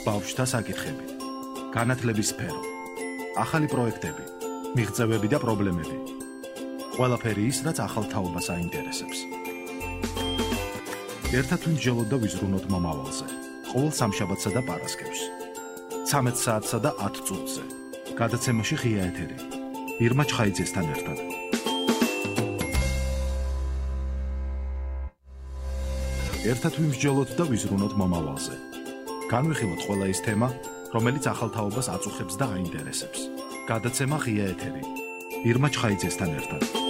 ბავშვთა საკითხები, განათლების სფერო, ახალი პროექტები, მიღწევები და პრობლემები. ყველაფერი ის, რაც ახალ თაობას აინტერესებს. ერთად ვიმსჯელოთ და ვიზრუნოთ მომავალზე. ყოველ სამშაბათსა და პარასკევს. 13 საათსა და 10 წუთზე. გადაცემაში ღია ეთერი. ირმა ჩხაიძესთან ერთად. ერთად ვიმსჯელოთ და ვიზრუნოთ მომავალზე. განვიხილოთ ყველა ის თემა, რომელიც ახალ თაობას აწუხებს და აინტერესებს. გადაცემა ღია ეთერი. ირმა ჩხაიძესთან ერთად.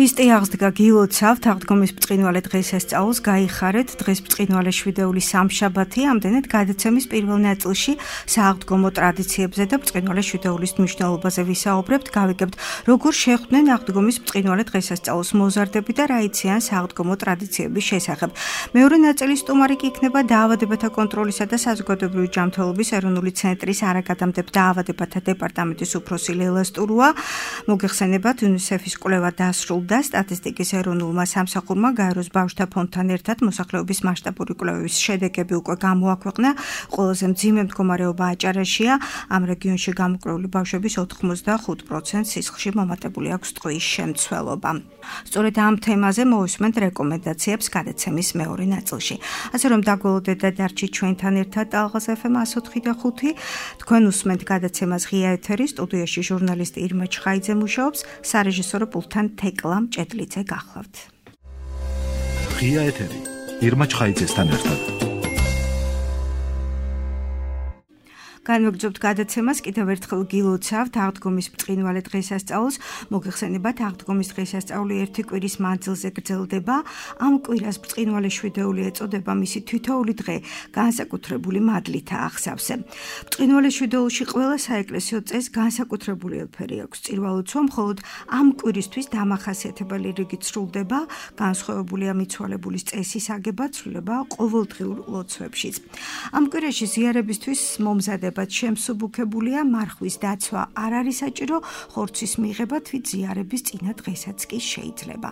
ქრისტე აღსდგა გილოცავთ აღდგომის ბრწყინვალე დღესასწაულს გაიხარეთ დღეს ბრწყინვალე შვიდეულის სამშაბათი ამდენად გადაცემის პირველ ნაწილში სააღდგომო ტრადიციებზე და ბრწყინვალე შვიდეულის მნიშვნელობაზე ვისაუბრებთ გავიგებთ როგორ შეხვდნენ აღდგომის ბრწყინვალე დღესასწაულს მოზარდები და რა იციან სააღდგომო ტრადიციების შესახებ მეორე ნაწილის სტუმარი კი იქნება დაავადებათა კონტროლისა და საზოგადოებრივი ჯანმრთელობის ეროვნული ცენტრის არაგადამტებ დაავადებათა დეპარტამენტის უფროსი ლელა სტურუა მოგეხსენებათ UNICEF-ის კვლევა დასრულდა და სტატისტიკის ეროვნულმა სამსახურმა გაეროს ბავშვთა ფონდთან ერთად მოსახლეობის მასშტაბური კვლევების შედეგები უკვე გამოაქვეყნა. ყველაზე მძიმე მდგომარეობა აჭარაშია. ამ რეგიონში გამოკვლეული ბავშვების 85% სისხლში მომატებული აქვს ტყვის შემცველობა. სწორედ ამ თემაზე მოვისმენთ რეკომენდაციებს გადაცემის მეორე ნაწილში. ასე რომ დაგველოდეთ და დარჩით ჩვენთან ერთად ალღაზ FM 104.5. თქვენ უსმენთ გადაცემას ღია ეთერი სტუდიაში ჟურნალისტი ირმა ჩხაიძე მუშაობს, სარეჟისორო პულტთან თეკლა ჭედლიძე გახლავთ. ღია ეთერი ირმა ჩხაიძესთან ერთად. განვაგრძობთ გადაცემას კიდევ ერთხელ გილოცავთ აღდგომის ბრწყინვალე დღესასწაულს მოგეხსენებათ აღდგომის დღესასწაული ერთი კვირის მანძილზე გრძელდება ამ კვირას ბრწყინვალე შვიდეული ეწოდება მისი თითოეული დღე განსაკუთრებული მადლითაა აღსავსე ბრწყინვალე შვიდეულში ყველა საეკლესიო წესს განსაკუთრებული ელფერი აქვს წირვალოცვა მხოლოდ ამ კვირისთვის დამახასიათებელი რიგით სრულდება განსხვავებულია მიცვალებულის წესის აგება ცვლილება ყოველდღიურ ლოცვებშიც ამ კვირაში ზიარებისთვის მომზადება შემსუბუქებულია მარხვის დაცვა არ არის საჭირო ხორცის მიღება თვით ზიარების წინა დღესაც კი შეიძლება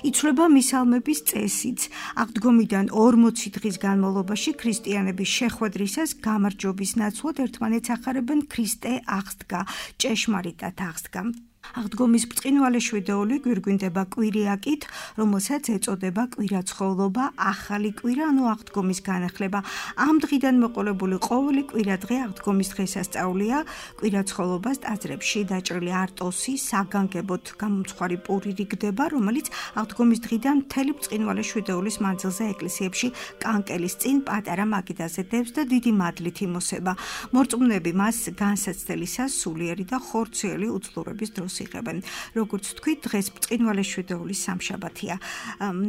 იცვლება მისალმების წესიც აღდგომიდან 40 დღის განმავლობაში ქრისტიანების შეხვედრისას გამარჯვების ნაცვლად ერთმანეთს ახარებენ ქრისტე აღსდგა ჭეშმარიტად აღსდგა აღდგომის ბრწყინვალე შვიდეული გვირგვინდება კვირიაკით, რომელსაც ეწოდება კვირაცხოვლობა, ახალი კვირა, ანუ აღდგომის განახლება. ამ დღიდან მოყოლებული ყოველი კვირადღე აღდგომის დღესასწაულია. კვირაცხოვლობას ტაძრებში დაჭრილი არტოსი, საგანგებოდ გამომცხვარი პური რიგდება, რომელიც აღდგომის დღიდან მთელი ბრწყინვალე შვიდეულის მანძილზე ეკლესიებში კანკელის წინ პატარა მაგიდაზე დევს და დიდი მადლით იმოსება. მორწმუნეები მას განსაცდელისას სულიერი და ხორციელი უძლურების დროს იღებენ. როგორც თქვით, დღეს ბრწყინვალე შვიდეულის სამშაბათია.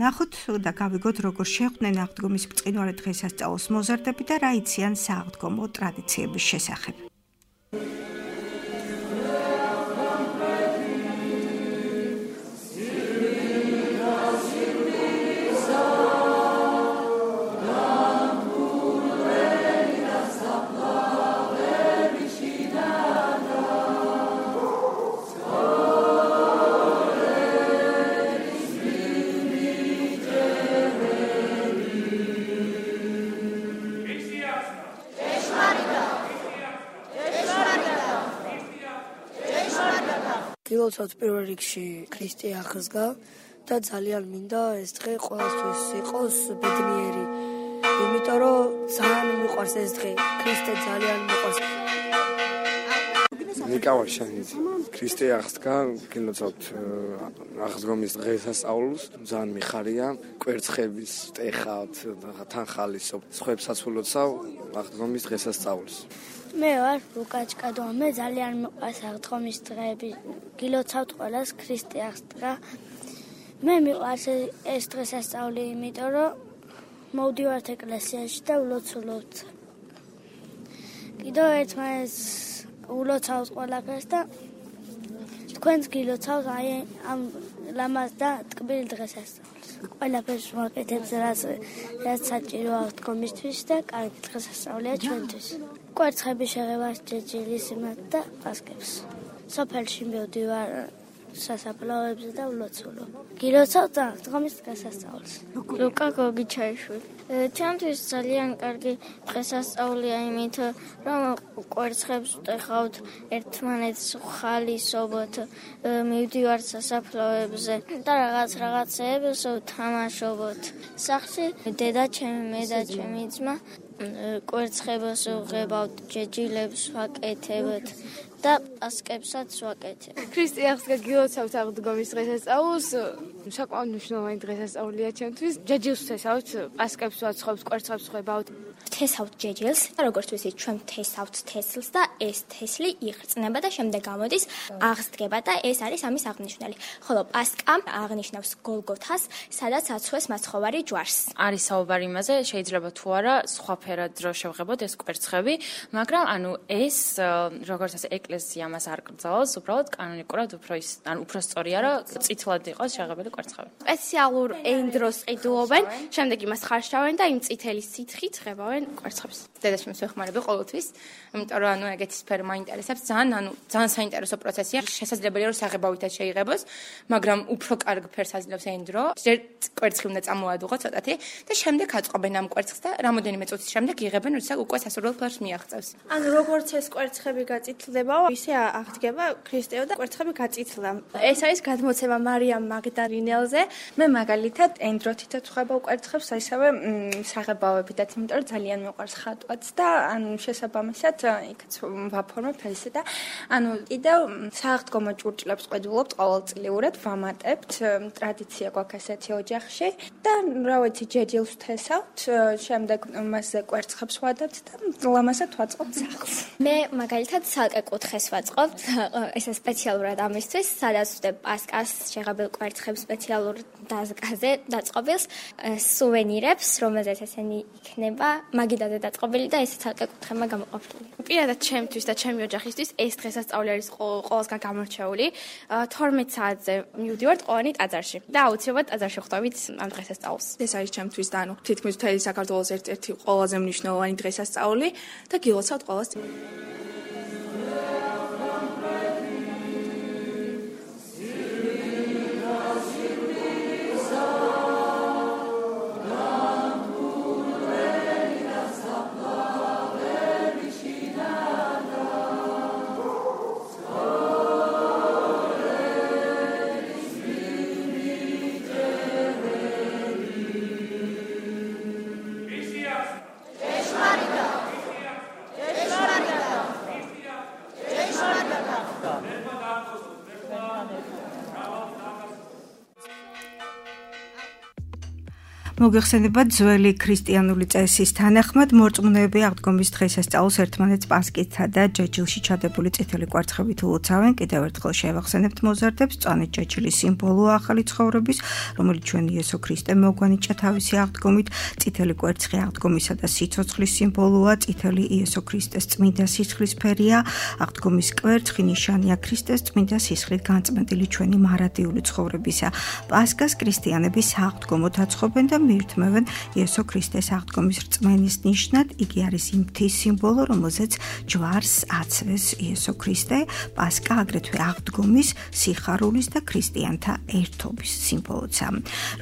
ნახოთ და გავიგოთ, როგორ შეხვდნენ აღდგომის ბრწყინვალე დღესასწაულს მოზარდები და რა იციან სააღდგომო ტრადიციების შესახებ. გილოცავთ პირველ რიგში ქრისტე აღსდგა და ძალიან მინდა ეს დღე ყოველთვის იყოს ბედნიერი. იმიტომ რომ ძალიან მიყვარს ეს დღე. ქრისტე ძალიან მიყვარს. ნიკავაშანიძე. ქრისტე აღსდგა, გილოცავთ აღდგომის დღესასწაულს, ძალიან მიხარია, კვერცხების ტეხავთ, თან ხალისობ, სხვებსაც ულოცავ აღდგომის დღესასწაულს. მე ვარ ლუკაჩკადო, მე ძალიან მიყვარს აღდგომის დღეები. გილოცავთ ყველას ქრისტე აღსდგა. მე მიყვარს ეს დღესასწაული, იმიტომ რომ მოვდივართ ეკლესიაში და ვლოცულობთ. კიდევ ერთმანეთს ულოცავთ ყველაფერს და თქვენც გილოცავთ აი ამ ლამაზ და ტკბილ დღესასწაულს. ყველაფერს ვაკეთებთ, რაც საჭიროა აღდგომისთვის და კარგი დღესასწაულია ჩვენთვის. კვერცხების შეღება ჯეჯილის იმათ და პასკებს. სოფელში მივდივარ სასაფლაოებზე და ვლოცულობ. გილოცავთ აღდგომის დღესასწაულს. ლუკა გოგიჩაიშვილი. ჩემთვის ძალიან კარგი დღესასწაულია იმით, რომ კვერცხებს ვტეხავთ, ერთმანეთს ვხალისობთ, მივდივართ სასაფლაოებზე და რაღაცეებს ვთამაშობთ. სახლში დედაჩემი, მე და ჩემი ძმა კვერცხებს ვღებავთ, ჯეჯილებს ვაკეთებთ და პასკებსაც ვაკეთებ. ქრისტე აღსდგა გილოცავთ აღდგომის დღესასწაულს. საკმაოდ მნიშვნელოვანი დღესასწაულია ჩემთვის. ჯეჯილს ვთესავთ, პასკებს ვაცხობთ, კვერცხებს ვღებავთ. ვთესავთ ჯეჯილს, როგორც ვიცით, ჩვენ ვთესავთ თესლს და ეს თესლი იხრწნება და შემდეგ გამოდის აღსდგება და ეს არის ამის აღნიშნული. ხოლო პასკა აღნიშნავს გოლგოთას, სადაც აცვეს მაცხოვარი ჯვარს. არის საუბარი იმაზე, შეიძლება თუ არა სხვა ფერად რო შევღებოთ ეს კვერცხები, მაგრამ ეს როგორც ასე ეკლესია მას არ კრძალავს, უბრალოდ კანონიკურად უფრო სწორია, რომ წითლად იყოს შეღებილი კვერცხები. სპეციალურ ენდროს ყიდულობენ, შემდეგ იმას ხარშავენ და იმ წითელი სითხით ღებავენ კვერცხებს. დედაშვილს ვეხმარები ყოველთვის, იმიტომ რომ ეგეთი სფერო მაინტერესებს ძალიან საინტერესო პროცესია. შესაძლებელია რომ საღებავითაც შეიღებოს, მაგრამ უფრო კარგ ფერს აძლევს ენდრო. ჯერ კვერცხი უნდა წამოადუღოთ ცოტათი და შემდეგ აწყობენ ამ კვერცხს და რამოდენიმე წუთის შემდეგ იღებენ, როცა უკვე სასურველ ფერს მიაღწევს. როგორც ეს კვერცხები გაწითლდება, ისე აღდგება ქრისტეო და კვერცხები გაწითლდა. ეს არის გადმოცემა მარიამ მაგდალინელზე. მე მაგალითად ენდროთითაც ვხებავ კვერცხებს, ისევე საღებავებითაც, იმიტომ რომ ძალიან მიყვარს ხატვაც და შესაბამისად იქაც ვაფორმებ ესე და კიდევ სააღდგომო ჭურჭლებს ყიდულობთ ყოველწლიურად, ვამატებთ, ტრადიცია გვაქვს ესეთი ოჯახში და რა ვიცი, ჯეჯილს ვთესავთ, შემდეგ მასზე კვერცხებს ვადებთ და ლამაზად ვაწყობთ სახლს. მე მაგალითად ცალკე კუთხეს ვაწყობთ, ესე სპეციალურად ამისთვის, სადაც ვდებ პასკას, შეღებილ კვერცხებს სპეციალურ დაზგაზე დაწყობილს, სუვენირებს, რომელზეც ესენი იქნება მაგიდაზე დაწყობილი და ესე ცალკე კუთხემა გამოყოფილი. პირადად ჩემთვის და ჩემი ოჯახისთვის ეს დღესასწაული არის ყოველსგან გამორჩეული. 12 საათზე მივდივართ ყოველდღე ტაძარში და აუცილებლად ტაძარში ხვდებით ამ დღესასწაულს. ეს არის ჩემთვის და თითქმის მთელი საქართველოს ერთ-ერთი ყველაზე მნიშვნელოვანი დღესასწაული და გილოცავთ ყველას. მოგეხსენებათ ძველი ქრისტიანული წესის თანახმად მორწმუნეები აღდგომის დღესასწაულს ერთმანეთს პასკითა და ჯეჯილში ჩადებული წითელი კვერცხებით ულოცავენ. კიდევ ერთხელ შევახსენებთ მოზარდებს, მწვანე ჯეჯილის სიმბოლოა ახალი ცხოვრების, რომელიც ჩვენ იესო ქრისტე მოგვანიჭა თავისი აღდგომით. წითელი კვერცხი აღდგომისა და სიცოცხლის სიმბოლოა, წითელი იესო ქრისტეს წმინდა სისხლის ფერია. აღდგომის კვერცხი ნიშანია ქრისტეს წმინდა სისხლით განწმენდილი ჩვენი მარადიული ცხოვრებისა. პასკას ქრისტიანები სააღდგომოდ აცხობენ და მიირთმევენ იესო ქრისტეს აღდგომის რწმენის ნიშნად. იგი არის იმ მთის სიმბოლო, რომელზეც ჯვარს აცვეს იესო ქრისტე. პასკა აგრეთვე აღდგომის, სიხარულის და ქრისტიანთა ერთობის სიმბოლოა.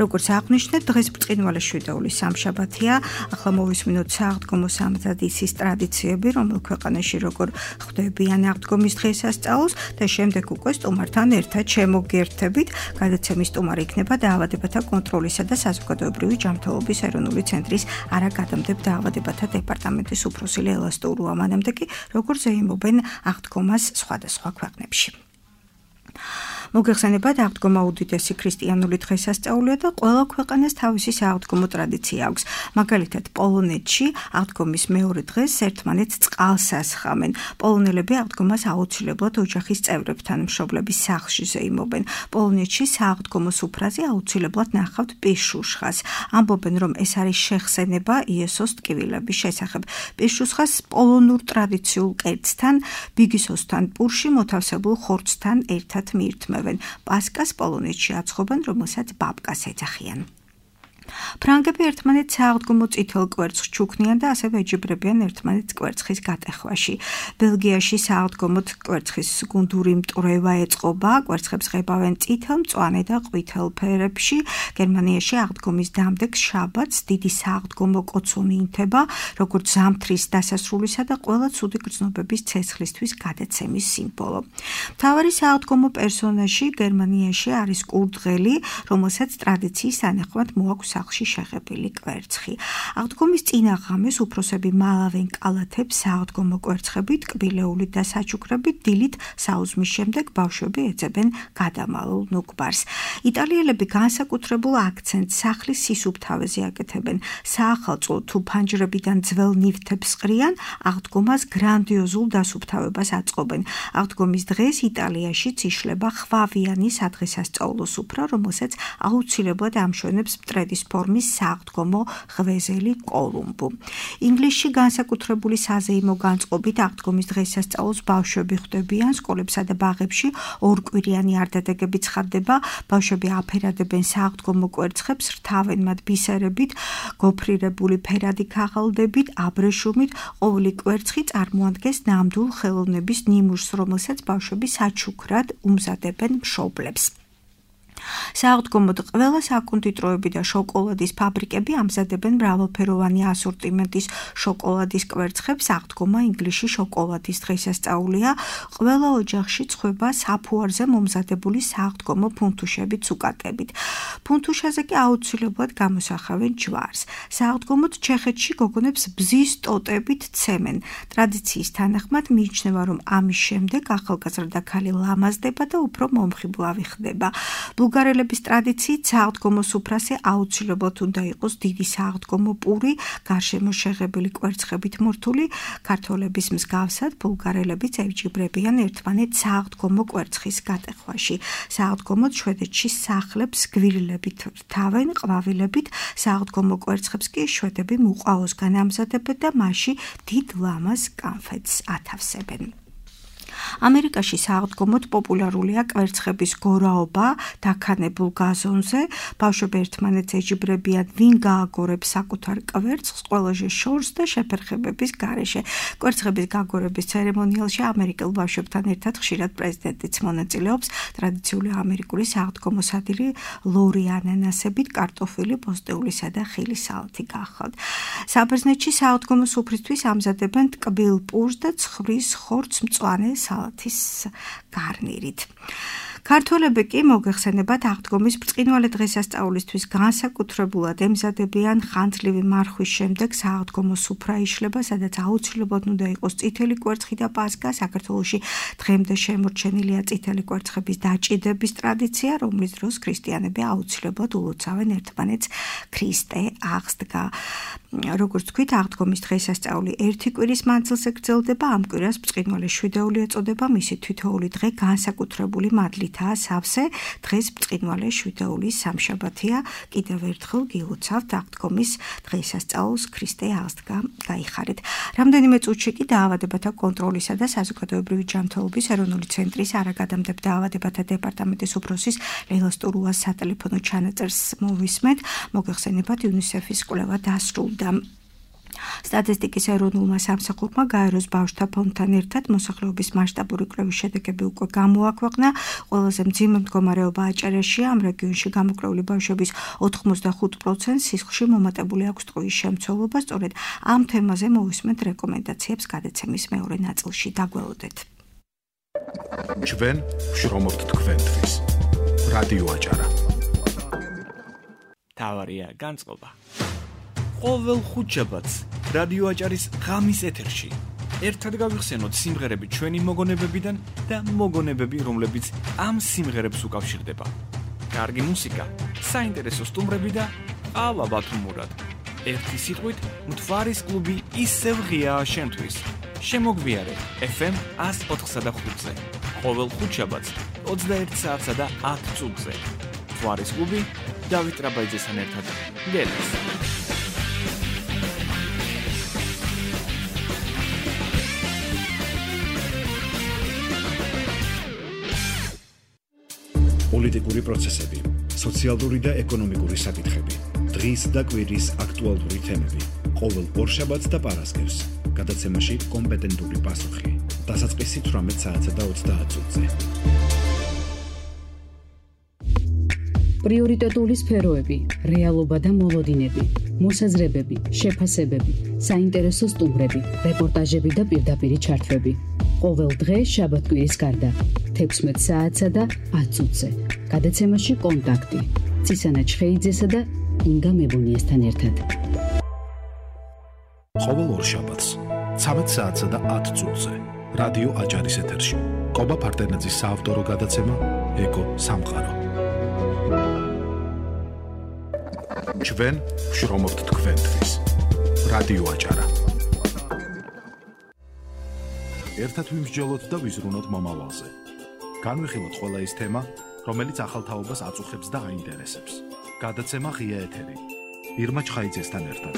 როგორც აღნიშნეთ, დღეს ბრწყინვალე შვიდაულის სამშაბათია. ახლა მოვისმინოთ სააღდგომო სამზადისის ტრადიციები, რომელ ქვეყანაში როგორ ხვდებიან აღდგომის დღესასწაულს და შემდეგ უკვე სტუმართან ერთად შემოგერთებით. გადაცემის სტუმარი იქნება დაავადებათა კონტროლისა და საზოგადოებრივი ადგილობრივი ჯანმრთელობის ეროვნული ცენტრის არაგადამტებ დაავადებათა დეპარტამენტის უფროსი ლელა სტურუა მანამდე კი როგორც ეიმობენ აღდგომას სხვადასხვა ქვეყნებში. მოგეხსენებათ, აღდგომა უდიდესი ქრისტიანული დღესასწაულია და ყველა ქვეყანას თავისი სააღდგომო ტრადიცია აქვს. მაგალითად, პოლონეთში აღდგომის მეორე დღეს ერთმანეთს წყალს ასხამენ. პოლონელები აღდგომას აუცილებლად ოჯახის წევრებთან მშობლების სახლში ზეიმობენ. პოლონეთში სააღდგომო სუფრაზე აუცილებლად ნახავთ პირშუშხას. ამბობენ, რომ ეს არის შეხსენება იესოს ტკივილების შესახებ. პირშუშხას პოლონურ ტრადიციულ კერძთან, ბიგისოსთან პურში მოთავსებულ ხორცთან ერთად მიირთმევენ. პასკას პოლონეთში აცხობენ, რომელსაც ბაბკას ეძახიან. ფრანგები ერთმანეთს სააღდგომო წითელ კვერცხს ჩუქნიან და ასევე ეჯიბრებიან ერთმანეთს კვერცხის გატეხვაში. ბელგიაში სააღდგომოდ კვერცხის გუნდური მტვრევა ეწყობა, კვერცხებს ღებავენ წითელ, მწვანე და ყვითელ ფერებში. გერმანიაში აღდგომის დამდეგს შაბათს დიდი სააღდგომო კოცონი ინთება, როგორც ზამთრის დასასრულისა და ყველა ცუდი გრძნობების ცეცხლისთვის გადაცემის სიმბოლო. მთავარი სააღდგომო პერსონაჟი გერმანიაში არის კურდღელი, რომელსაც ტრადიციის თანახმად მოაქვს სახლში შეღებილი კვერცხი. აღდგომის წინა ღამეს უფროსები მალავენ კალათებს სააღდგომო კვერცხებით, კბილეულით და საჩუქრებით, დილით საუზმის შემდეგ ბავშვები ეძებენ გადამალულ ნუგბარს. იტალიელები განსაკუთრებულ აქცენტს სახლის სისუფთავეზე აკეთებენ. საახალწლო თუ ფანჯრებიდან ძველ ნივთებს ყრიან, აღდგომას გრანდიოზულ დასუფთავებას აწყობენ. აღდგომის დღეს იტალიაშიც იშლება ხვავიანი სადღესასწაულო სუფრა, რომელსაც აუცილებლად ამშვენებს მტრედის ფორმის სააღდგომო ღვეზელი კოლუმბუ. ინგლისში განსაკუთრებული საზეიმო განწყობით აღდგომის დღესასწაულს ბავშვები ხვდებიან სკოლებსა და ბაღებში ორკვირიანი არდადეგები ცხადდება, ბავშვები აფერადებენ სააღდგომო კვერცხებს, რთავენ მათ ბისერებით, გოფრირებული ფერადი ქაღალდებით, აბრეშუმით, ყოველი კვერცხი წარმოადგენს ნამდვილ ხელოვნების ნიმუშს, რომელსაც ბავშვები საჩუქრად უმზადებენ მშობლებს. სააღდგომოდ ყველა საკონდიტროები და შოკოლადის ფაბრიკები ამზადებენ მრავალფეროვანი ასორტიმენტის შოკოლადის კვერცხებს. აღდგომა ინგლისში შოკოლადის დღესასწაულია. ყველა ოჯახში ცხვება საფუარზე მომზადებული სააღდგომო ფუნთუშებით უკატებით. ფუნთუშაზე კი აუცილებლად გამოსახავენ ჯვარს. სააღდგომოდ ჩეხეთში გოგონებს ბზის ტოტებით ცემენ. ტრადიციის თანახმად მიიჩნევა, რომ ამის შემდეგ ახალგაზრდა ქალი ლამაზდება და უფრო მომხიბლავი ხდება. ბულგარელების ტრადიციით სააღდგომო სუფრაზე აუცილებლად უნდა იყოს დიდი სააღდგომო პური, გარშემო შეღებილი კვერცხებით მორთული. ქართველების მსგავსად ბულგარელებიც ევჯიბრებიან ერთმანეთს სააღდგომო კვერცხის გატეხვაში. სააღდგომოდ შვედეთში სახლებს გვირილებით რთავენ, ყვავილებით. სააღდგომო კვერცხებს კი შვედები მუყაოსგან ამზადებენ და მასში დიდ ლამაზ კანფეტს ათავსებენ. ამერიკაში სააღდგომოდ პოპულარულია კვერცხების გორაობა დაქანებულ გაზონზე. ბავშვები ერთმანეთს ეჯიბრებიან, ვინ გააგორებს საკუთარ კვერცხს ყველაზე შორს და შეფერხებების გარეშე. კვერცხების გაგორების ცერემონიალში ამერიკელ ბავშვებთან ერთად ხშირად პრეზიდენტიც მონაწილეობს. ტრადიციული ამერიკული სააღდგომო სადილი ლორი ანანასებით, კარტოფილი, პოსტეულისა და ხილის სალათი გახლავთ. საბერძნეთში სააღდგომო სუფრისთვის ამზადებენ ტკბილ პურს და ცხვრის ხორცს მწვანე სალათის გარნირით. ქართველები კი მოგეხსენებათ აღდგომის ბრწყინვალე დღესასწაულისთვის განსაკუთრებულად ემზადებიან ხანძლივი მარხვის შემდეგ სააღდგომო სუფრა იშლება, სადაც აუცილებლად უნდა იყოს წითელი კვერცხი და პასკა. საქართველოში დღემდე შემორჩენილია წითელი კვერცხების დაჭიდების ტრადიცია, რომლის დროს ქრისტიანები აუცილებლად ულოცავენ ერთმანეთს ქრისტე აღსდგა. როგორც თქვით, აღდგომის დღესასწაული ერთი კვირის მანძილზე გრძელდება. ამ კვირას ბრწყინვალე შვიდეული ეწოდება, მისი თითოეული დღე განსაკუთრებული მადლითაა სავსე. დღეს ბრწყინვალე შვიდეულის სამშაბათია. კიდევ ერთხელ გილოცავთ აღდგომის დღესასწაულს, ქრისტე აღსდგა გაიხარეთ. რამდენიმე წუთში კი დაავადებათა კონტროლისა და საზოგადოებრივი ჯანმრთელობის ეროვნული ცენტრის არაგადამტებ დაავადებათა დეპარტამენტის უფროსის ლელა სტურუას სატელეფონო ჩანაწერს მოვისმენთ. მოგეხსენებათ, იუნისეფის კვლევა დასრულდა. სტატისტიკის ეროვნულმა სამსახურმა გაეროს ბავშვთა ფონდთან ერთად მოსახლეობის მასშტაბური კვლევის შედეგები უკვე გამოაქვეყნა. ყველაზე მძიმე მდგომარეობა აჭარაშია. ამ რეგიონში გამოკვლეული ბავშვების 85% სისხლში მომატებული აქვს ტყუის შემცველობა. სწორედ ამ თემაზე მოვისმენთ რეკომენდაციებს გადაცემის მეორე ნაწილში. დაგველოდეთ. ჩვენ ვშრომობთ თქვენთვის. რადიო აჭარა. თავარია განწყობა. ყოველ ხუთშაბათს რადიო აჭარის ღამის ეთერში ერთად გავიხსენოთ სიმღერები ჩვენი მოგონებებიდან და მოგონებები, რომლებიც ამ სიმღერებს უკავშირდება. კარგი მუსიკა, საინტერესო სტუმრები და ყავა ბათუმურად. ერთი სიტყვით, მთვარის კლუბი ისევ ღიაა შენთვის. შემოგვიარე FM 104.5-ზე. ყოველ ხუთშაბათს 21 საათსა და 10 წუთზე. მთვარის კლუბი დავით რაბაიძესთან ერთად. გელს. პოლიტიკური პროცესები, სოციალური და ეკონომიკური საკითხები, დღის და კვირის აქტუალური თემები. ყოველ ორშაბათს და პარასკევს გადაცემაში კომპეტენტური პასუხი. დასაწყისი 18 საათსა და 30 წუთზე. პრიორიტეტული სფეროები, რეალობა და მოლოდინები, მოსაზრებები, შეფასებები, საინტერესო სტუმრები, რეპორტაჟები და პირდაპირი ჩართვები. ყოველ დღე შაბათ-კვირის გარდა 16 საათსა და 10 წუთზე. გადაცემაში კონტაქტი. ცისანა ჩხეიძესა და ინგა მებონიასთან ერთად. ყოველ ორშაბათს 13 საათსა და 10 წუთზე. რადიო აჭარის ეთერში. კობა ფარდენაძის საავტორო გადაცემა ეკო სამყარო. ჩვენ ვშრომობთ თქვენთვის. რადიო აჭარა. ერთად ვიმსჯელოთ და ვიზრუნოთ მომავალზე. განვიხილოთ ყველა ის თემა, რომელიც ახალ თაობას აწუხებს და აინტერესებს. გადაცემა ღია ეთერი. ირმა ჩხაიძესთან ერთად.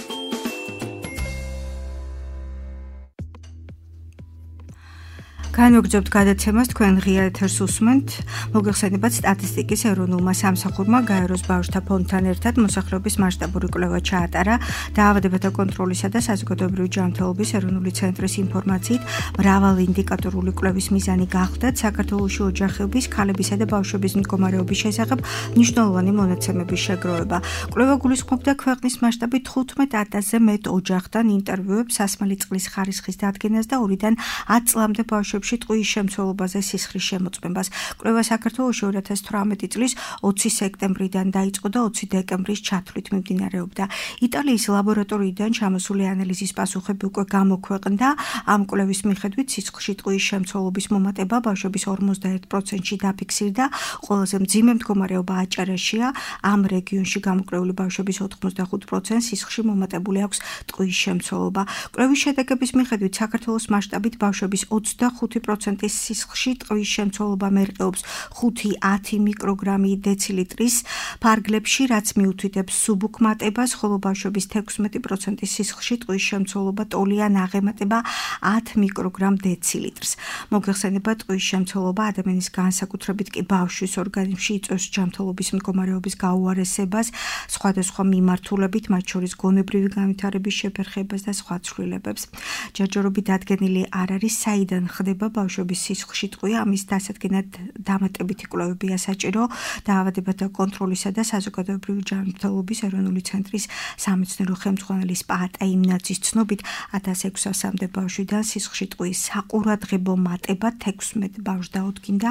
განვაგრძობთ გადაცემას თქვენ ღია ეთერს უსმენთ. მოგეხსენებათ სტატისტიკის ეროვნულმა სამსახურმა გაეროს ბავშვთა ფონდთან ერთად მოსახლეობის მასშტაბური კვლევა ჩაატარა. დაავადებათა კონტროლისა და საზოგადოებრივი ჯანმრთელობის ეროვნული ცენტრის ინფორმაციით, მრავალინდიკატორული კვლევის მიზანი გახლდათ საქართველოში ოჯახების, ქალებისა და ბავშვების მდგომარეობის შესახებ მნიშვნელოვანი მონაცემების შეგროვება. კვლევა გულისხმობდა ქვეყნის მასშტაბით 15,000-ზე მეტ ოჯახთან ინტერვიუებს, სასმელი წყლის ხარისხის დადგენას და 2-დან 10 წლამდე ბავშვების ტყუის შემცველობაზე სისხლის შემოწმებას. კვლევა საქართველოში 2018 წლის 20 სექტემბრიდან დაიწყო და 20 დეკემბრის ჩათვლით მიმდინარეობდა. იტალიის ლაბორატორიიდან ჩამოსული ანალიზის პასუხები უკვე გამოქვეყნდა. ამ კვლევის მიხედვით სისხლში ტყუის შემცველობის მომატება ბავშვების 51%-ში დაფიქსირდა. ყველაზე მძიმე მდგომარეობა აჭარაშია. ამ რეგიონში გამოკვლეული ბავშვების 85%-ს სისხლში მომატებული აქვს ტყუის შემცველობა. კვლევის შედეგების მიხედვით საქართველოს მასშტაბით ბავშვების 25%-ის სისხლში ტყუის შემცველობა მერყეობს 5-10 მიკროგრამი დეცილიტრის ფარგლებში, რაც მიუთითებს სუბუქ მატებას, ხოლო ბავშვების 16%-ის სისხლში ტყუის შემცველობა ტოლიან აღემატება 10 მიკროგრამ დეცილიტრს. მოგეხსენებათ, ტყუის შემცველობა ადამიანის განსაკუთრებით კი ბავშვის ორგანიზმში იწვევს ჯანმრთელობის მდგომარეობის გაუარესებას, სხვადასხვა მიმართულებით, მათ შორის გონებრივი განვითარების შეფერხებას და სხვა ცვლილებებს. ჯერჯერობით დადგენილი არ არის, საიდან ხდება ბავშვების სისხლში ტყუი, ამის დასადგენად დამატებითი კვლევებია საჭირო. დაავადებათა კონტროლისა და საზოგადოებრივი ჯანმრთელობის ეროვნული ცენტრის სამეცნიერო ხელმძღვანელის პაატა იმნაძის ცნობით 1600-მდე ბავშვიდან სისხლში ტყუის საყურადღებო მატება 16 ბავშვს დაუდგინდა.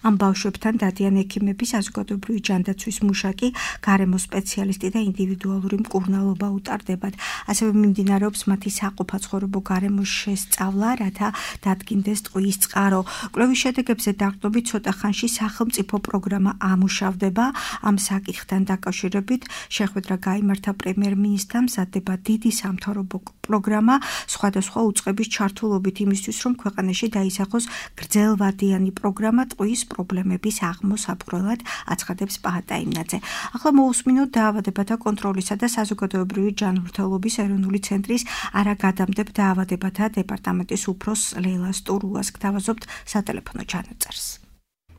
ამ ბავშვებთან დადიან ექიმები, საზოგადოებრივი ჯანდაცვის მუშაკი, გარემო სპეციალისტი და ინდივიდუალური მკურნალობა უტარდებათ. ასევე მიმდინარეობს მათი საყოფაცხოვრებო გარემოს შესწავლა, რათა დადგინდეს ტყუის წყარო. კვლევის შედეგებზე დაყრდნობით ცოტა ხანში სახელმწიფო პროგრამა ამუშავდება. ამ საკითხთან დაკავშირებით შეხვედრა გაიმართა პრემიერ-მინისტრთან, მზადდება დიდი სამთავრობო პროგრამა სხვადასხვა უწყების ჩართულობით იმისთვის, რომ ქვეყანაში დაისახოს გრძელვადიანი პროგრამა ტყუის პრობლემების აღმოსაბრალად, აცხადებს პაატა იმნაძე. ახლა მოусმინოთ დაავადებათა კონტროლისა და საზოგადოებრივი ჯანმრთელობის ეროვნული ცენტრის არაგადამდებ დაავადებათა დეპარტამენტის უფროს ლელა სტურუას გთავაზობთ სატელეფონო ჩანაწერს.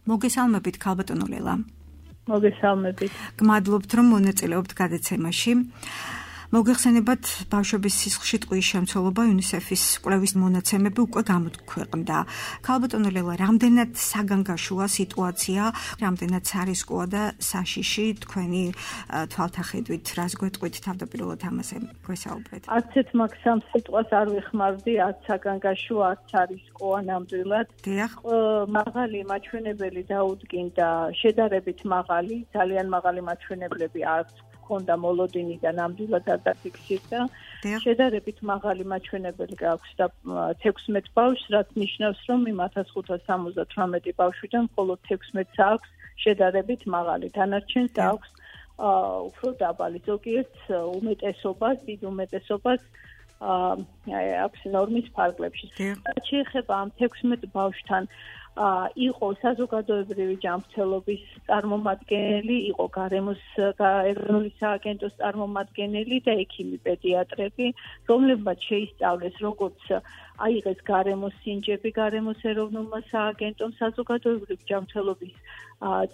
მოგესალმებით, ქალბატონო ლელა. მოგესალმებით. გმადლობთ, რომ მონაწილეობთ გადაცემაში. მოგეხსენებათ ბავშვების სისხლში ტყუის შემცველობა UNICEF-ის კვლევის მონაცემები უკვე გამოქვეყნდა. ქალბატონო ლელა, რამდენად საგანგაშოა სიტუაცია, რამდენად სარისკოა და საშიში თქვენი თვალთახედვით, რას გვეტყვით თავდაპირველად ამაზე გვესაუბრეთ? არც ერთ მაგ-სამ სიტყვას არ ვიხმარდი, არც საგანგაშოა, არც სარისკოა ნამდვილად. მაღალი მაჩვენებელი დაუდგინდა, შედარებით მაღალი, ძალიან მაღალი მაჩვენებლები არც ქონდა მოლოდინი და ნამდვილად არ დაფიქსირდა. შედარებით მაღალი მაჩვენებელი გაქვს და 16 ბავშვს, რაც ნიშნავს, რომ იმ 1578 ბავშვიდან მხოლოდ 16-ს აქვს შედარებით მაღალი. დანარჩენს აქვს უფრო დაბალი. ზოგიერთ უმეტესობას, დიდ უმეტესობას აქვს ნორმის ფარგლებში. შეეხება ამ 16 ბავშვთან იყო საზოგადოებრივი ჯანმრთელობის წარმომადგენელი, იყო გარემოს ეროვნული სააგენტოს წარმომადგენელი და ექიმი პედიატრები, რომლებმაც შეისწავლეს, როგორც აიღეს გარემოს სინჯები გარემოს ეროვნულმა სააგენტომ, საზოგადოებრივი ჯანმრთელობის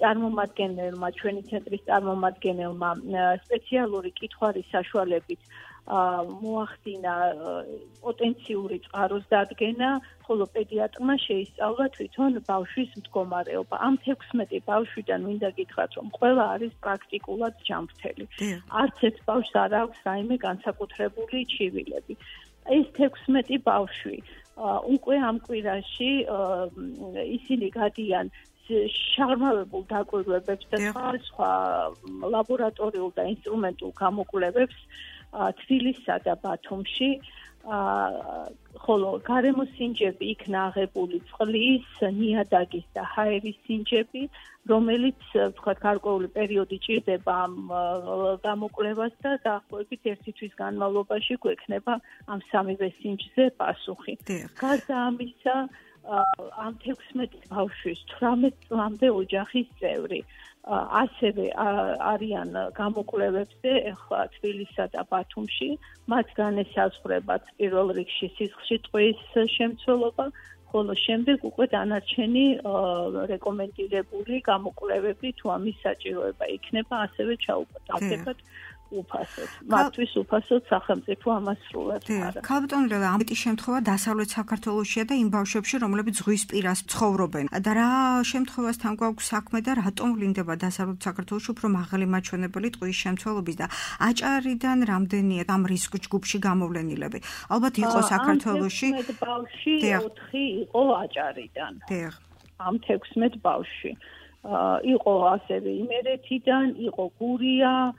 წარმომადგენელმა, ჩვენი ცენტრის წარმომადგენელმა სპეციალური კითხვარის საშუალებით მოახდინა პოტენციური წყაროს დადგენა, ხოლო პედიატრმა შეისწავლა თვითონ ბავშვის მდგომარეობა. ამ 16 ბავშვიდან მინდა გითხრათ, რომ ყველა არის პრაქტიკულად ჯანმრთელი. არც ერთ ბავშვს არ აქვს რაიმე განსაკუთრებული ჩივილები. ეს 16 ბავშვი უკვე ამ კვირაში ისინი გადიან შაღრმავებულ დაკვირვებებს და სხვა ლაბორატორიულ და ინსტრუმენტულ გამოკვლევებს თბილისსა და ბათუმში, ხოლო გარემოს სინჯები იქნა აღებული წყლის, ნიადაგის და ჰაერის სინჯები, რომელიც თქვათ გარკვეული პერიოდი ჭირდება ამ გამოკვლევას და დაახლოებით 1 თვის განმავლობაში გვექნება ამ სამივე სინჯზე პასუხი. გარდა ამისა, ამ 16 ბავშვის 18 წლამდე ოჯახის წევრი ასევე არიან გამოკვლევებზე ახლა თბილისსა და ბათუმში, მათგან ესაზღვრებათ პირველ რიგში სისხლში ტყუის შემცველობა, ხოლო შემდეგ უკვე დანარჩენი რეკომენდირებული გამოკვლევები თუ ამის საჭიროება იქნება, ასევე ჩაუყალიბებათ უფასოდ. მათთვის უფასოდ სახელმწიფო ამას სრულად არა. ქალბატონო ლელა, ამიტი შემთხვევა დასავლეთ საქართველოშია და იმ ბავშვებში, რომლებიც ზღვის პირას ცხოვრობენ. და რა შემთხვევასთან გვაქვს საქმე და რატომ ვლინდება დასავლეთ საქართველოში უფრო მაღალი მაჩვენებელი ტყუის შემცველობის და აჭარიდან რამდენია ამ რისკ ჯგუფში გამოვლენილები? ალბათ იყო საქართველოში. ამ 16 ბავშვი 4 იყო აჭარიდან. ამ 16 ბავშვი. იყო ასევე იმერეთიდან, იყო გურია,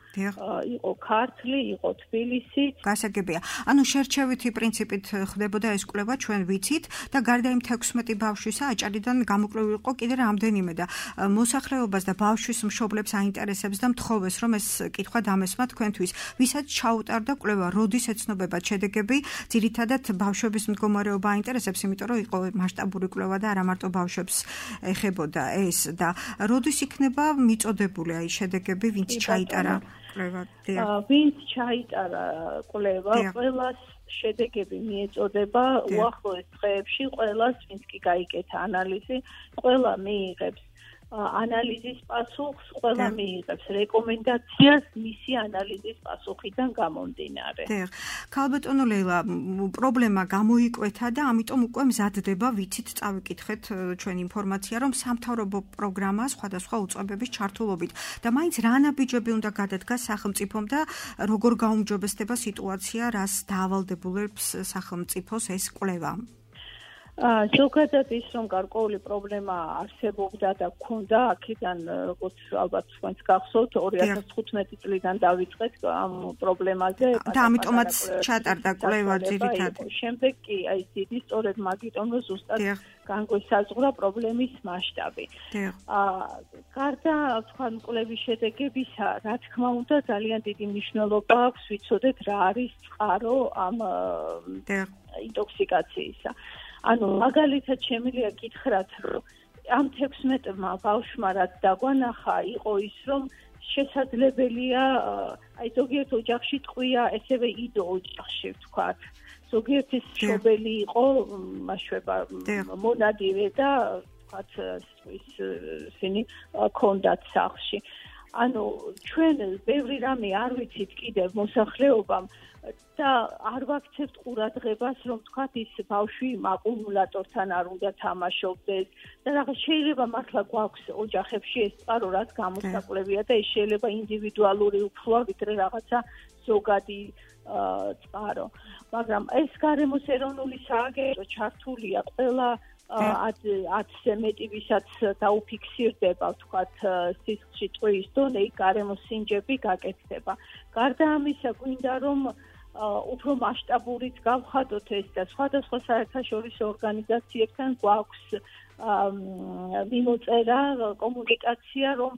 იყო ქართლი, იყო თბილისი. გასაგებია. ანუ შერჩევითი პრინციპით ხდებოდა ეს კვლევა, ჩვენ ვიცით და გარდა იმ 16 ბავშვისა აჭარიდან გამოკვლევი იყო კიდე რამდენიმე და მოსახლეობას და ბავშვის მშობლებს აინტერესებს და მთხოვეს, რომ ეს კითხვა დამესვა თქვენთვის. ვისაც ჩაუტარდა კვლევა, როდის ეცნობებათ შედეგები, ძირითადად ბავშვების მდგომარეობა აინტერესებს, იმიტომ რომ იყო მასშტაბური კვლევა და არა მარტო ბავშვებს ეხებოდა ეს და როდის იქნება მიწოდებული აი შედეგები, ვინც ჩაიტარა კვლევა? ვინც ჩაიტარა კვლევა, ყველას შედეგები მიეწოდება უახლოეს დღეებში, ყველას, ვინც კი გაიკეთა ანალიზი, ყველა მიიღებს ანალიზის პასუხს, ყველა მიიღებს რეკომენდაციას მისი ანალიზის პასუხიდან გამომდინარე. ქალბატონო ლელა, პრობლემა გამოიკვეთა და ამიტომ უკვე მზადდება, ვიცით, წავიკითხეთ ჩვენ ინფორმაცია, რომ სამთავრობო პროგრამა სხვადასხვა უწყებების ჩართულობით და მაინც რა ნაბიჯები უნდა გადადგას სახელმწიფომ და როგორ გაუმჯობესდება სიტუაცია, რას დაავალდებულებს სახელმწიფოს ეს კვლევა? ზოგადად ის, რომ გარკვეული პრობლემა არსებობდა და გქონდა, აქედან როგორც ალბათ თქვენს გახსოვთ, 2015 წლიდან დავიწყეთ ამ პრობლემაზე. და ამიტომაც ჩატარდა კვლევა ძირითადად. შემდეგ კი აი დიდი სწორედ მაგიტომ რომ ზუსტად განგვესაზღვრა პრობლემის მასშტაბი. გარდა თქვენ კვლევის შედეგებისა, რა თქმა უნდა, ძალიან დიდი მნიშვნელობა აქვს ვიცოდეთ რა არის წყარო ამ ინტოქსიკაციისა. ანუ მაგალითად შემიძლია გითხრათ, რომ ამ 16-მა ბავშვმა რაც დაგვანახა, იყო ის, რომ შესაძლებელია აი ზოგიერთ ოჯახში ტყვია, ესევე იდო ოჯახში ვთქვათ. ზოგიერთის მშობელი იყო მაშვება მონადირე და ვთქვათ ისინი ქონდათ სახლში. ანუ ჩვენ ბევრი რამე არ ვიცით კიდევ მოსახლეობამ და არ ვაქცევთ ყურადღებას, რომ თქვათ ის ბავშვი აკუმულატორთან არ უნდა თამაშობდეს და რაღაც შეიძლება მართლა გვაქვს ოჯახებში ეს წყარო, რაც გამოსაკვლევია და ეს შეიძლება ინდივიდუალური უფროა, ვიდრე რაღაცა ზოგადი წყარო. მაგრამ ეს გარემოს ეროვნული სააგენტო ჩართულია ყველა 10-ზე მეტი ვისაც დაუფიქსირდება, ვთქვათ, სისხლში ტყუის დონე, გარემოს სინჯები გაკეთდება. გარდა ამისა, გვინდა რომ უფრო მასშტაბურით გავხადოთ ეს და სხვადასხვა საერთაშორისო ორგანიზაციებთან გვაქვს მიმოწერა, კომუნიკაცია, რომ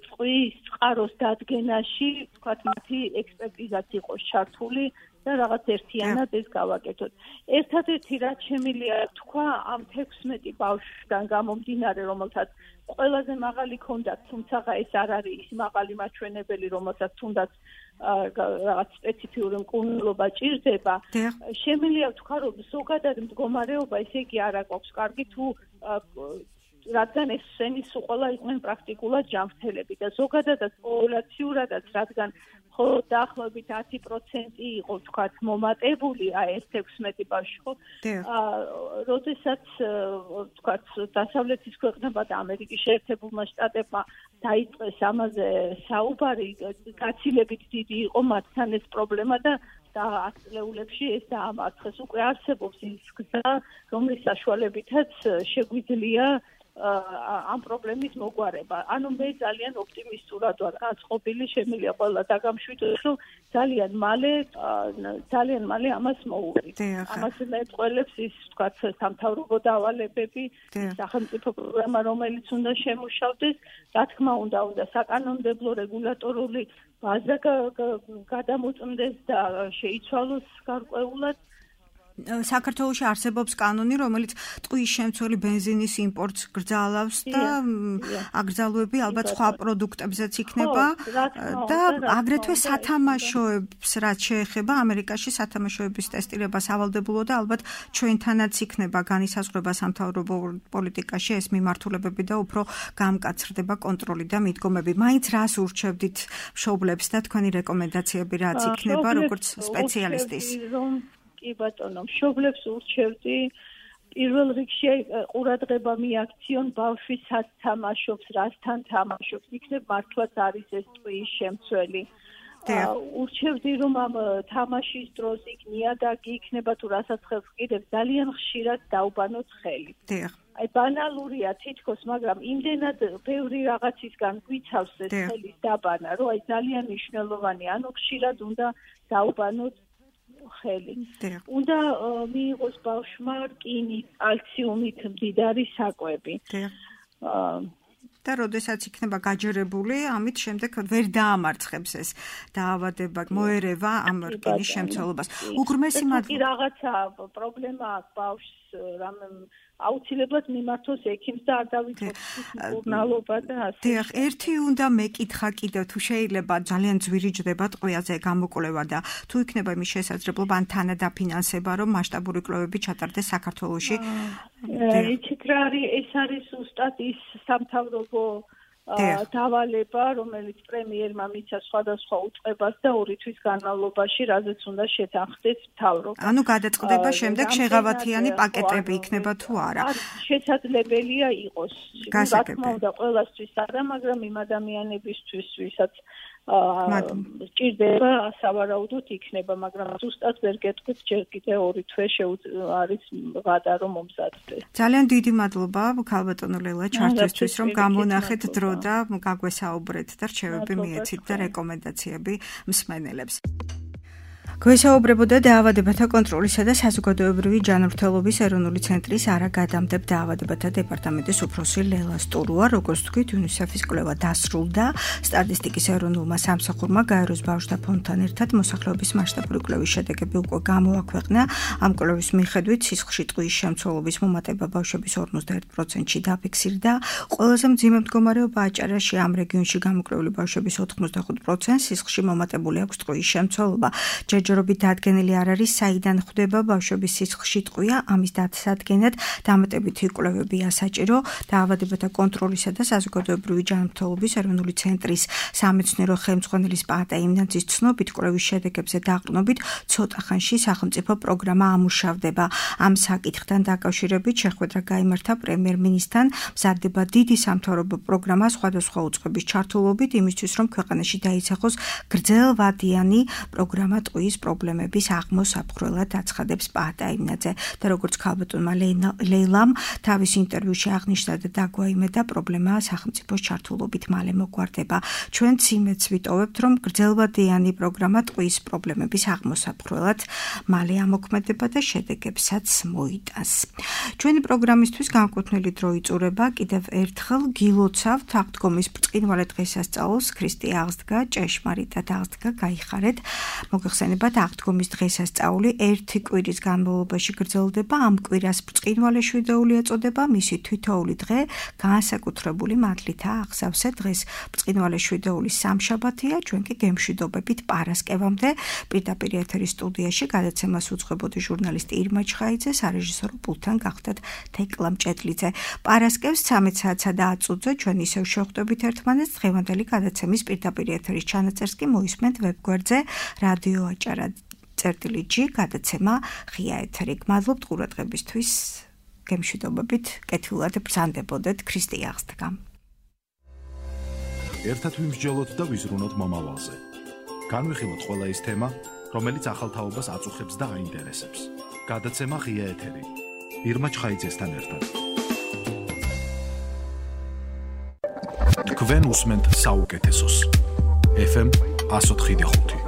წყვის წყაროს დადგენაში, ვთქვათ, მათი ექსპერტიზაც იყოს ჩართული და რაღაც ერთიანად ეს გავაკეთოთ. ერთადერთი რაც შემიძლია თქვა ამ 16 ბავშვიდან გამომდინარე, რომელთაც ყველაზე მაღალი ქონდათ, თუმცა ეს არ არის ის მაღალი მაჩვენებელი, რომელსაც თუნდაც რაღაც სპეციფიური მკურნალობა ჭირდება. შემიძლია თქვა, რომ ზოგადად მდგომარეობა ესე იგი არ აქვს კარგი თუ რადგან ეს სენის უყოლა იყვნენ პრაქტიკულად ჯანმრთელები და ზოგადადაც პოპულაციურადაც რადგან მხოლოდ დაახლოებით 10% იყო თქვათ მომატებული ეს 16 ბავშვი ხო როდესაც თქვათ დასავლეთის ქვეყნებმა და ამერიკის შეერთებულმა შტატებმა დაიწყეს ამაზე საუბარი გაცილებით დიდი იყო მათთან ეს პრობლემა და ათწლეულებში ეს დაამარცხეს უკვე არსებობს ის გზა რომლის საშუალებითაც შეგვიძლია ამ პრობლემის მოგვარება. ანუ მე ძალიან ოპტიმისტურად ვარ განწყობილი, შემიძლია ყველა დაგამშვიდოს, რომ ძალიან მალე ამას მოუვიდეთ. ამას მეტყველებს ის, ვთქვათ, სამთავრობო დავალებები, სახელმწიფო პროგრამა, რომელიც უნდა შემუშავდეს, რა თქმა უნდა, საკანონმდებლო რეგულატორული ბაზა გადამოწმდეს და შეიცვალოს გარკვეულად. საქართველოში არსებობს კანონი, რომელიც ტყუის შემცველი ბენზინის იმპორტს გრძალავს და აგრძალვები ალბათ სხვა პროდუქტებზეც იქნება და აგრეთვე სათამაშოებს რაც შეეხება ამერიკაში სათამაშოების ტესტირებას ავალდებულო და ალბათ ჩვენთანაც იქნება განისაზღვრება სამთავრობო პოლიტიკაში ეს მიმართულებები და უფრო გამკაცრდება კონტროლი და მიდგომები. მაინც რას ურჩევდით მშობლებს და თქვენი რეკომენდაციები რაც იქნება როგორც სპეციალისტის? კი ბატონო, მშობლებს ურჩევდი პირველ რიგში ყურადღება მიაქციონ ბავშვის სათამაშობს, რასთან თამაშობს, იქნებ მართლაც არის ეს ტყუის შემცველი. ურჩევდი რომ ამ თამაშის დროს იქ ნიადაგი იქნება თუ რასაც ხელს კიდევ ძალიან ხშირად დაუბანოთ ხელი. აი ბანალურია თითქოს, მაგრამ იმდენად ბევრი რაღაცისგან გვიცავს ეს ხელის დაბანა, რომ აი ძალიან მნიშვნელოვანია, ანუ ხშირად უნდა დაუბანოთ ხელი. უნდა მიიღოს ბავშვმა რკინით, კალციუმით მდიდარი საკვები. და როდესაც იქნება გაჯერებული, ამით შემდეგ ვერ დაამარცხებს ეს დაავადება, მოერევა ამ რკინის შემცველობას. უღრმესი მადლობა. რაღაცა პრობლემა აქვს ბავშვს, რამე აუცილებლად მიმართოს ექიმს და არ დავიწყოთ მკურნალობა და ასე. დიახ, ერთი უნდა მეკითხა კიდევ თუ შეიძლება ძალიან ძვირი ჯდება ტყვიაზე გამოკვლევა და თუ იქნება იმის შესაძლებლობა ან თანადაფინანსება რომ მასშტაბური კვლევები ჩატარდეს საქართველოში. იცით რა არის, ეს არის ზუსტად ის სამთავრობო დავალება, რომელიც პრემიერმა მიცა სხვადასხვა უწყებას და 2 თვის განმავლობაში, რაზეც უნდა შეთანხმდეს მთავრობა. ანუ გადაწყდება შემდეგ შეღავათიანი პაკეტები იქნება თუ არა. შესაძლებელია იყოს. რა თქმა უნდა, ყველასთვის არა, მაგრამ იმ ადამიანებისთვის, ვისაც ჭირდება, სავარაუდოდ იქნება, მაგრამ ზუსტად ვერ გეტყვით, ჯერ კიდე 2 თვე არის ვადა რომ მომზადდეს. ძალიან დიდი მადლობა, ქალბატონო ლელა, ჩართვისთვის, რომ გამონახეთ დრო და გაგვესაუბრეთ და რჩევები მიეცით და რეკომენდაციები მსმენელებს. გვესაუბრებოდა დაავადებათა კონტროლისა და საზოგადოებრივი ჯანმრთელობის ეროვნული ცენტრის არაგადამტებ დაავადებათა დეპარტამენტის უფროსი ლელა სტურუა, როგორც თქვით, UNICEF-ის კვლევა დასრულდა. სტატისტიკის ეროვნულმა სამსახურმა გაეროს ბავშვთა ფონდთან ერთად მოსახლეობის მასშტაბური კვლევის შედეგები უკვე გამოაქვეყნა. ამ კვლევის მიხედვით სისხლში ტყუის შემცველობის მომატება ბავშვების 51%-ში დაფიქსირდა. ყველაზე მძიმე მდგომარეობა აჭარაში ამ რეგიონში გამოკვლეული ბავშვების 85%-ს სისხლში მომატებული აქვს ტყუის შემცველობა. ჯერჯერობით დადგენილი არ არის, საიდან ხვდება ბავშვების სისხლში ტყვია, ამის დასადგენად დამატებითი კვლევებია საჭირო. დაავადებათა კონტროლისა და საზოგადოებრივი ჯანმრთელობის ეროვნული ცენტრის სამეცნიერო ხელმძღვანელის პაატა იმნაძის ცნობით, კვლევის შედეგებზე დაყრდნობით ცოტა ხანში სახელმწიფო პროგრამა ამუშავდება. ამ საკითხთან დაკავშირებით შეხვედრა გაიმართა პრემიერ-მინისტრთან, მზადდება დიდი სამთავრობო პროგრამა სხვადასხვა უწყების ჩართულობით იმისთვის, რომ ქვეყანაში დაიცახოს გრძელვადიანი პროგრამა ტყუის პრობლემების აღმოსაფხვრელად აცხადებს პაატა იმნაძე. და როგორც ქალბატონმა ლეილამ თავის ინტერვიუში აღნიშნა და დაგვაიმედა, პრობლემაა სახელმწიფოს ჩართულობით მალე მოგვარდება. ჩვენც იმედს ვიტოვებთ, რომ გრძელვადიანი პროგრამა ტყუის პრობლემების აღმოსაფხვრელად მალე ამოქმედება და შედეგებსაც მოიტანს. ჩვენი პროგრამისთვის განკუთვნილი დრო იწურება. კიდევ ერთხელ გილოცავთ აღდგომის ბრწყინვალე დღესასწაულს. ქრისტე აღსდგა, ჭეშმარიტად აღსდგა, გაიხარეთ. მოგეხსენებათ, აღდგომის დღესასწაული 1 კვირის განმავლობაში გრძელდება. ამ კვირას ბრწყინვალე შვიდეული ეწოდება. მისი თითოეული დღე განსაკუთრებული მადლითაა აღსავსე. დღეს ბრწყინვალე შვიდეულის სამშაბათია. ჩვენ კი გემშვიდობებით პარასკევამდე პირდაპირ ეთერის სტუდიაში გადაცემას უძღვებოდი ჟურნალისტი ირმა ჩხაიძე, სარეჟისორო პულტთან გახდათ თეკლა მჭედლიძე. პარასკევს 13 საათსა და 10 წუთზე ჩვენ ისევ შევხვდებით ერთმანეთს. დღევანდელი გადაცემის პირდაპირ ეთერის ჩანაწერს კი მოისმენთ ვებგვერდზე რადიო აჭარა წერტილი.g გადაცემა ღია ეთერი. გმადლობთ ყურადღებისთვის. გემშვიდობებით, კეთილად ბრძანდებოდეთ. ქრისტე აღსდგა. ერთად ვიმსჯელოთ და ვიზრუნოთ მომავალზე. განვიხილოთ ყველა ის თემა, რომელიც ახალ თაობას აწუხებს და აინტერესებს. გადაცემა ღია ეთერი. ირმა ჩხაიძესთან ერთად. თქვენ უსმენთ საუკეთესოს. FM 104.5